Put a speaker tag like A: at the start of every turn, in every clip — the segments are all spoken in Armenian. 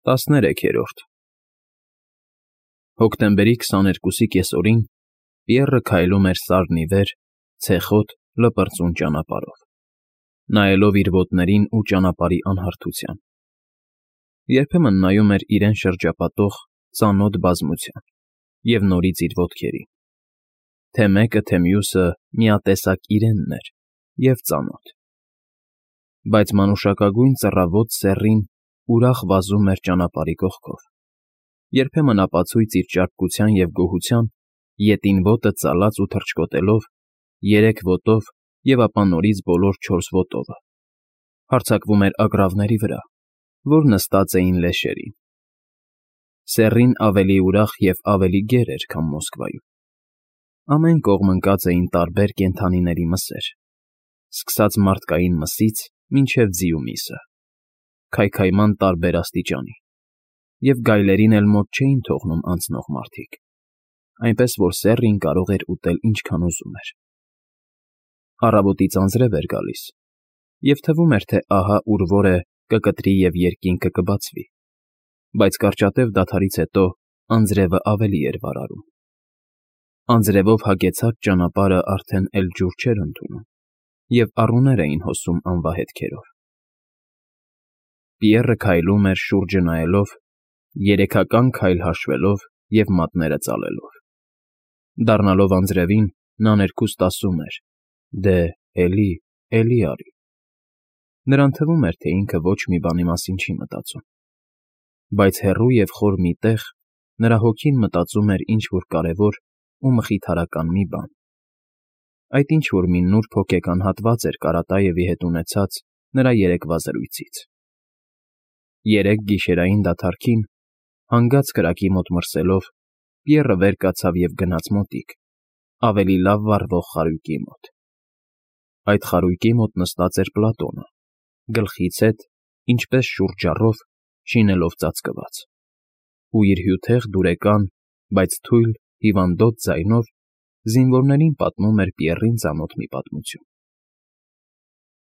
A: 13-րդ Հոկտեմբերի 22-ի կեսօրին Պիեռը քայլում էր սարն ի վեր, ցեխոտ, լպրծուն ճանապարհով, նայելով իր ոտներին ու ճանապարհի անհարթության. երբեմն նայում էր իրեն շրջապատող ծանոթ բազմության և նորից իր ոտքերին, թե մեկը, թե մյուսը միատեսակ իրենն էր և ծանոթ, բայց մանուշակագույն ծռավոտ սեռին ուրախ վազում էր ճանապարհի կողքով, երբեմն ապացույց իր ճարպկության և գոհության, ետին ոտը ծալած ու թռչկոտելով, երեք ոտով և ապա նորից բոլոր չորս ոտովը, հարձակվում էր ագռավների վրա, որ նստած էին լեշերին. սեռին ավելի ուրախ և ավելի գեր էր, քան Մոսկվայում. ամեն կողմ ընկած էին տարբեր կենդանիների մսեր, սկսած մարդկային մսից մինչև ձիու միսը, քայքայման տարբեր աստիճանի, և գայլերին էլ մոտ չէին թողնում անցնող մարդիկ, այնպես որ սեռին կարող էր ուտել ինչքան ուզում էր. առավոտից անձրև էր գալիս, և թվում էր, թե ահա ուր որ է կկտրի և երկինքը կբացվի, բայց կարճատև դադարից հետո անձրևը ավելի էր վարարում. անձրևով հագեցած ճանապարհը արդեն էլ ջուր չէր ընդունում, և առուներ էին հոսում անվահետքերով. Պիեռը քայլում էր շուրջը նայելով, երեքական քայլ հաշվելով և մատները ծալելով. դառնալով անձրևին, նա ներքուստ ասում էր. «Դե, էլի արի»։ Նրան թվում էր, թե ինքը ոչ մի բանի մասին չի մտածում, բայց հեռու և խոր մի տեղ նրա հոգին մտածում էր ինչ֊որ կարևոր ու մխիթարական մի բան. այդ ինչ֊որ մի նուրբ հոգեկան հատված էր Կարատաևի հետ ունեցած նրա երեկվա զրույցից. երեկ գիշերային դադարքին, հանգած կրակի մոտ մրսելով, Պիեռը վեր կացավ և գնաց մոտիկ, ավելի լավ վառվող խարույկի մոտ. այդ խարույկի մոտ նստած էր Պլատոնը, գլխից հետ, ինչպես շուրջառով, շինելով ծածկված, ու իր հյութեղ դուրեկան, բայց թույլ, հիվանդոտ ձայնով զինվորներին պատմում էր Պիեռին ծանոթ մի պատմություն.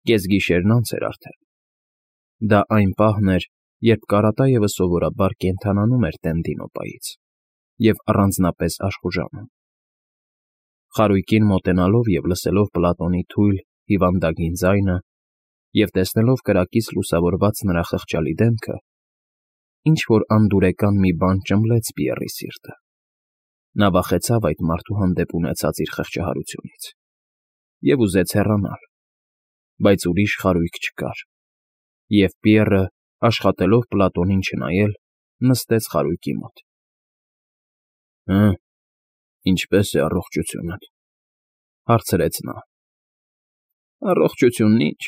A: կեսգիշերն անց էր արդեն. դա այն պահն էր, երբ Կարատաևը սովորաբար կենդանանում էր Տեն-Դինոպայից և առանձնապես աշխուժանում. խարույկին մոտենալով և լսելով Պլատոնի թույլ, հիվանդագին ձայնը և տեսնելով կրակից լուսավորված նրա խղճալի դեմքը, ինչ֊որ անդուրեկան մի բան ճմլեց Պիեռի սիրտը. նա վախեցավ այդ մարդու հանդեպ ունեցած իր խղճահարությունից և ուզեց հեռանալ, բայց ուրիշ խարույկ չկար, և Պիեռը, աշխատելով Պլատոնին չնայել, նստեց խարույկի մոտ։ «Հը՞, ինչպե՞ս է առողջությունդ,֊ հարցրեց նա։ «Առողջությունն ինչ,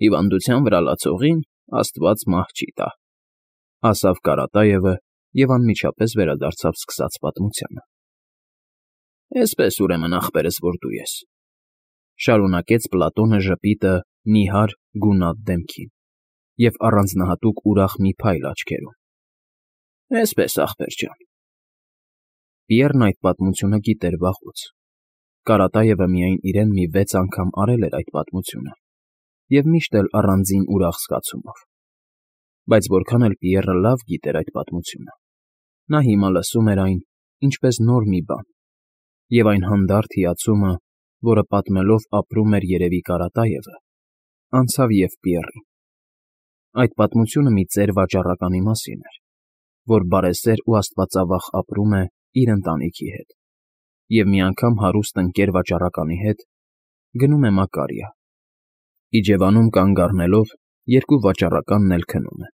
A: հիվանդության վրա լացողին աստված մահ չի տա»,֊ ասավ Կարատաևը և անմիջապես վերադարձավ սկսած պատմությանը։ «Էսպես, ուրեմն, ախպերս, որ դու ես,֊ շարունակեց Պլատոնը ժպիտը նիհար, գունատ դեմքին և առանձնահատուկ ուրախ մի փայլ աչքերում,֊ էսպես, ախպեր ջան»։ Պիեռն այդ պատմությունը գիտեր վաղուց. Կարատաևը միայն իրեն մի 6 անգամ արել էր այդ պատմությունը և միշտ էլ առանձին ուրախ զգացումով, բայց որքան էլ Պիեռը լավ գիտեր այդ պատմությունը, նա հիմա լսում էր այն ինչպես նոր մի բան, և այն հանդարտ հիացումը, որը պատմելով ապրում էր երևի Կարատաևը, անցավ և Պիեռին. այդ պատմությունը մի ծեր վաճառականի մասին էր, որ բարեսեր ու աստվածավախ ապրում է իր ընտանիքի հետ, և մի անգամ հարուստ ընկեր վաճառականի հետ գնում է Մակարիա, իջևանում կանգ առնելով, երկու վաճառականն էլ քնում են,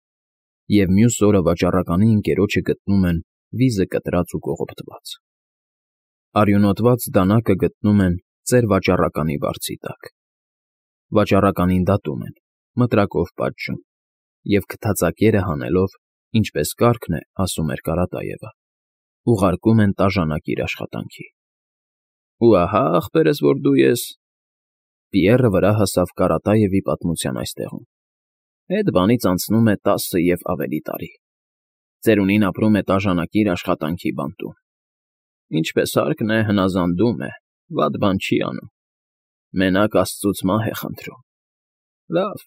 A: և մյուս օրը վաճառականի ընկերոջը գտնում են վիզը կտրած ու կողոպտված, արյունոտված դանակը գտնում են ծեր վաճառականի վարձի տակ, վաճառականին դատում են, մտրակով պատժում և քթածակերը հանելով, ինչպես կարգն է, ասում էր Կարատաևը, ուղարկում են տաժանակիր աշխատանքի։ Ու ահա, ախպերս, որ դու ես,֊ Պիեռը վրա հասավ Կարատաևի պատմության այս տեղում,֊ էդ բանից անցնում է 10 և ավելի տարի, ծերունին ապրում է տաժանակիր աշխատանքի բանտում, ինչպես հարկն է, հնազանդում է, վատ բան չի անում, մենակ աստծուց մահ է խնդրում, լավ,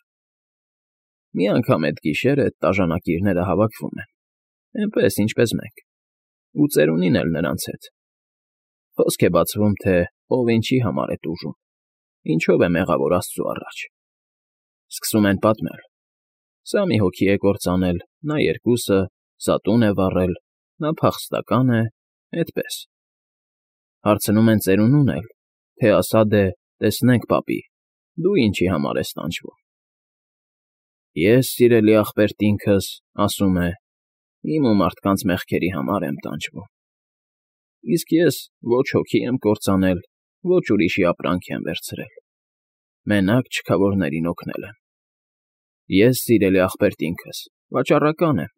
A: Մի անգամ էդ գիշեր էդ տաժանակիրները հավաքվում են, էնպես, ինչպես մենք, ու ծերունին էլ նրանց հետ. խոսք է բացվում, թե ով ինչի համար է տուժում, ինչով է մեղավոր Աստծու առաջ. սկսում են պատմել. սա մի հոգի է կործանել, նա երկուսը, սա տուն է վառել, նա փախստական է, էդպես. հարցնում են ծերունուն էլ, թե ասա դե, տեսնենք, պապի, դու ինչի համար ես տանջվում. ես, սիրելի աղբերտինքս, ասում է, իմ ու մարդկանց մեղքերի համար եմ տանջվում. իսկ ես ոչ հոգի եմ կործանել, ոչ ուրիշի ապրանք եմ վերցրել, մենակ չքավորներին օգնել եմ. ես, սիրելի աղբերտինքս, վաճառական եմ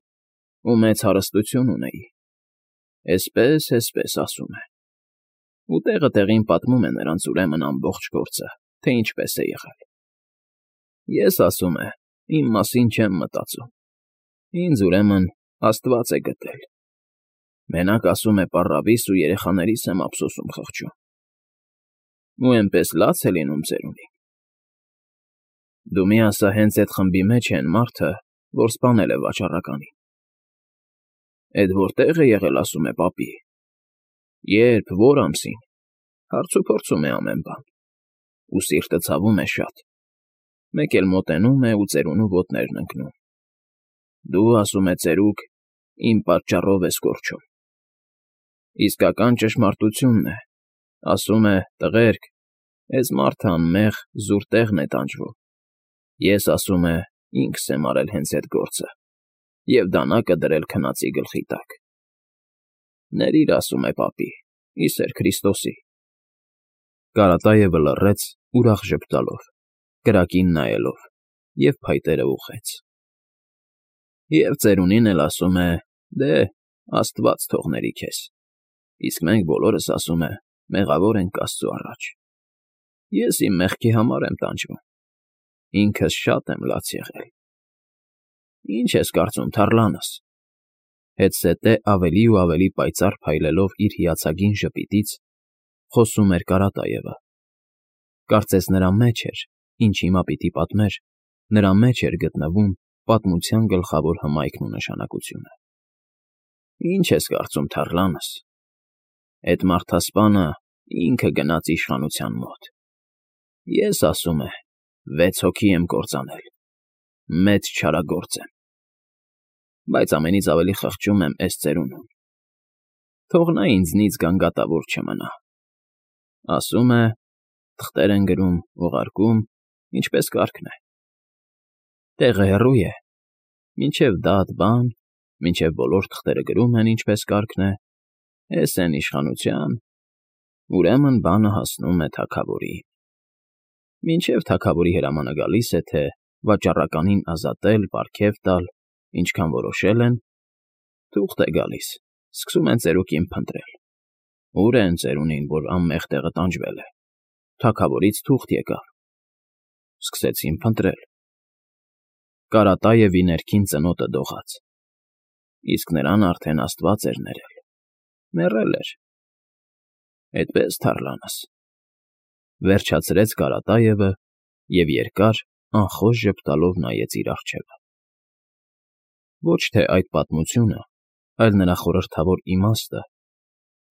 A: ու մեծ հարստություն ունեի, էսպես ասում է. ու տեղը տեղին պատմում է նրանց ուրեմն ամբողջ գործը, թե ինչպես է եղել. ես, ասում է, իմ մասին չեմ մտածում, ինձ ուրեմն Աստված է գտել, մենակ, ասում է, պառավիս ու երեխաներիս եմ ափսոսում խղճում, ու էնպես լաց է լինում ծերունին. դու մի ասա հենց էդ խմբի մեջ է էն մարդը, որ սպանել է վաճառականին. էդ որտե՞ղ է եղել, ասում է, պապի, երբ, որ ամսին, հարցուփորձում է ամեն բան, ու սիրտը ցավում է շատ, մեկ էլ մոտենում է ու ծերունու ոտներն ընկնում. դու, ասում է, ծերուկ, իմ պատճառով ես կորչում. իսկական ճշմարտությունն է, ասում է, տղերք, էս մարդը անմեղ զուր տեղն է տանջվում, ես, ասում է, ինքս եմ արել հենց էդ գործը և դանակը դրել քնածի գլխի տակ. ներիր, ասում է, պապի, ի սեր Քրիստոսի. Կարատաևը լռեց, ուրախ ժպտալով, կրակին նայելով, և փայտերը ուղղեց. և ծերունին էլ ասում է. դե, Աստված թողների քեզ, իսկ մենք բոլորս, ասում է, մեղավոր ենք Աստծու առաջ. ես իմ մեղքի համար եմ տանջվում, ինքս շատ եմ լաց եղել. ի՞նչ ես կարծում, թառլանս, հետզհետե ավելի ու ավելի պայծառ փայլելով իր հիացագին ժպիտից, խոսում էր Կարատաևը. կարծես նրա մեջ էր, ինչ հիմա պիտի պատմեր, նրա մեջ էր գտնվում պատմության գլխավոր հմայքն ու նշանակությունը. ի՞նչ ես կարծում, թառլանս, էդ մարդասպանը ինքը գնաց իշխանության մոտ, ես, ասում է, 6 հոգի եմ կործանել, մեծ չարագործ եմ, բայց ամենից ավելի խղճում եմ էս ծերունուն, թող նա ինձնից գանգատավոր չմնա, ասում է, թղթեր են գրում, ուղարկում, ինչպես կարգն է, տեղը հեռու է, մինչև դատ բան, մինչև բոլոր թղթերը գրում են, ինչպես կարգն է, էս էն իշխանության, ուրեմն բանը հասնում է թագավորին, մինչև թագավորի հրամանը գալիս է, թե վաճառականին ազատել, պարգև տալ, ինչքան որոշել են, թուղթ է գալիս, սկսում են ծերուկին փնտրել, ուր է էն ծերունին, որ անմեղ տեղը տանջվել է, թագավորից թուղթ եկավ, սկսեցին փնտրել, Կարատաևի ներքին ծնոտը դողաց, իսկ նրան արդեն Աստված էր ներել, մեռել էր, էդպես, թառլանս, վերջացրեց Կարատաևը և երկար, անխոս ժպտալով նայեց իր առջևը. ոչ թե այդ պատմությունը, այլ նրա խորհրդավոր իմաստը,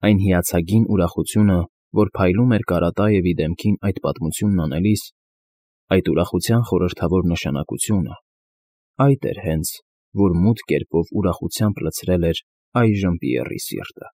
A: այն հիացագին ուրախությունը, որ փայլում էր Կարատաևի դեմքին այդ պատմությունն անելիս, այդ ուրախության խորհրդավոր նշանակությունը, այդ էր հենց, որ մութ կերպով ուրախությամբ լցրել էր այժմ Պիեռի սիրտը։